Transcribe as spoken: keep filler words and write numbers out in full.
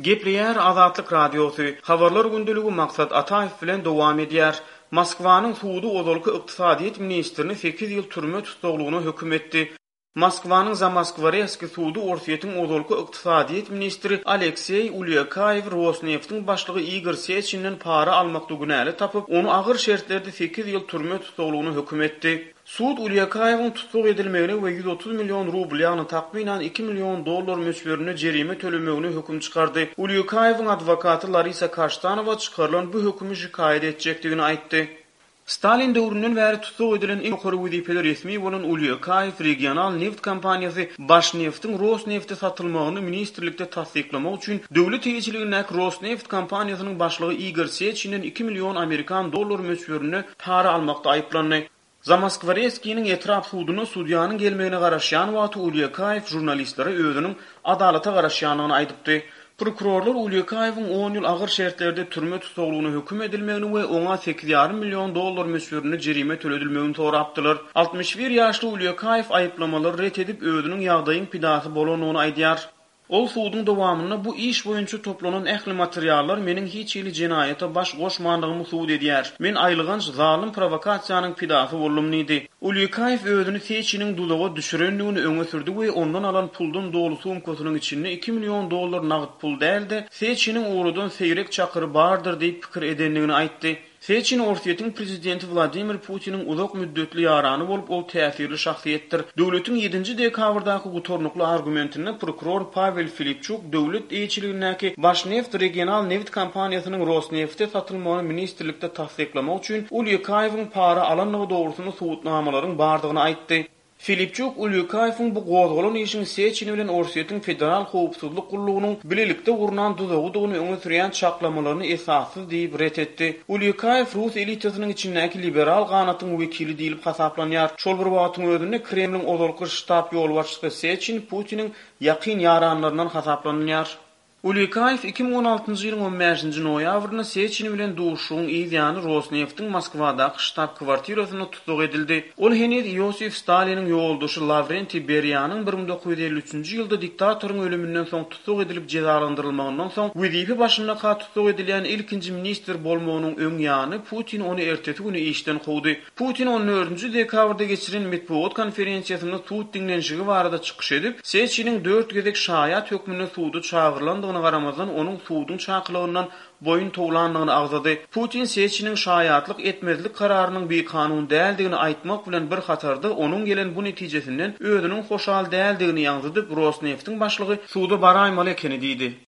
Gepleýär Azatlyk Radiosy, Habarlar gündeligi Maksat Ataýew bilen dowam edýär. Moskwanyň sudy ozalky ykdysadyýet ministrini sekiz ýyl türme tussaglygyna höküm etdi. Moskwanyň Zamoskworetskiý sudy Orsýetiň ozalky ykdysadyýet ministri Alekseý Ulýakaýewi Rosneftiň başlygy Igor Seçinden para almakda günäli tapyp, ony agyr şertlerde sekiz ýyl türme tussaglygyna höküm etdi. Sud Ulýakaýewiň tussag edilmegine we ýüz otuz million rubl, ýagny takmynan iki million dollar möçberinde jerime tölemegine höküm çykardy. Ulýakaýewiň adwokaty Larisa Kaştanowa çykarylan bu hökümi şikaýat etjekdigini aýtdy. Stalin döwründen bäri tussag edilen iň ýokary wezipeli resmi bolan Ulýakaýew regional neft kompaniýasy Başneftiň Rosnefte satylmagyny ministrlikde tassyklamak üçin döwlet eýeçiligindäki Rosneft kompaniýasynyň başlygy Igor Seçinden iki million amerikan dollary möçberinde para almakda aýyplandy. Zamoskworetskiniň etrap suduna sudýanyň gelmegine garaşýan wagty Ulýakaýew žurnalistlere özüniň adalata garaşýandygyny aýdypdy. Prokurorlar Ulýakaýewiň on ýyl agyr şertlerde türme tussaglygyna höküm edilmegini we oňa sekiz ýarym million dollar möçberinde jerime töledilmegini sorapdylar. Altmyş bir ýaşly Ulýakaýew aýyplamalary ret edip, özüniň ýagdaýyň pidasy bolandygyny aýdýar. Ol suduň dowamynda bu iş boýunça toplanan ähli materiallar meniň hiç hili jenaýata baş goşmandygymy subut edýär. Men aýylganç zalym prowokasiýanyň pidasy boldum diýdi. Ulýakaýew özüni Seçiniň duzaga düşürendigini öňe sürdi we ondan alan puldan doly sumkasynyň içinde iki million dollar nagt pul däl-de, Seçiniň ugradan seýrek çakyry bardyr diýip pikir edendigini aýtdy. Seçin Orsýetiň prezidenti Wladimir Putiniň uzak müddetli ýarany bolup, ol täsirli şahsyýetdir. Döwletiň ýedinji dekabrdaky gutarnykly argumentinde prokuror Pawel Filipçuk döwlet eýeçiligindäki Başneft regional nebit kompaniýasynyň Rosnefte satylmagyny ministrlikde tassyklamak üçin Ulýakaýewiň para alandygy dogrusynda subutnamalaryň bardygyny aýtdy. Filipçuk Ulýakaýewiň bu gozgalan işiň Seçin bilen Orsýetiň Federal howpsuzlyk gullugynyň bilelikde gurnan duzagydygyny öňe sürýän çaklamalaryny esassyz diýip ret etdi. Ulýakaýew rus elitasynyň içindäki liberal ganatyň wekili diýlip hasaplanýar. Şol bir wagtyň özünde Kremliň ozalky ştab ýolbaşçysy Seçin Putiniň ýakyn ýaranlaryndan hasaplanylýar. Ulýakaýew iki müň on altynjy ýylyň on bäşinji noýabrynda Seçin bilen duşuşygyň yz ýany Rosneftiň Moskwadaky ştab-kwartirasynda tussag edildi. Ol heniz Iosif Staliniň ýoldaşy Lawrentiý Beriýanyň bir müň dokuz ýüz elli üçünji ýylda diktatoryň ölüminden soň tussag edilip jezalandyrylmagyndan soň wezipe başyndaka tussag edilýän ilkinji ministr bolmagynyň öň ýany Putin ony ertesi güni işden kowdy. Putin on dördünji dekabrda geçiren metbugat konferensiýasynda sud diňlenişigi barada çykyş edip, Seçiniň dört gezek şaýat hökmünde suda çagyrylandygyna garamazdan onuň suduň çakylygyndan boýun towlandygyny agzady. Putin Seçiniň şaýatlyk etmezlik kararynyň bikanun däldigini aýtmak bilen bir hatarda onuň gelen bu netijesinden özüniň hoşal däldigini ýaňzydyp, Rosneftiň başlygy suda baraýmaly ekeni diýdi.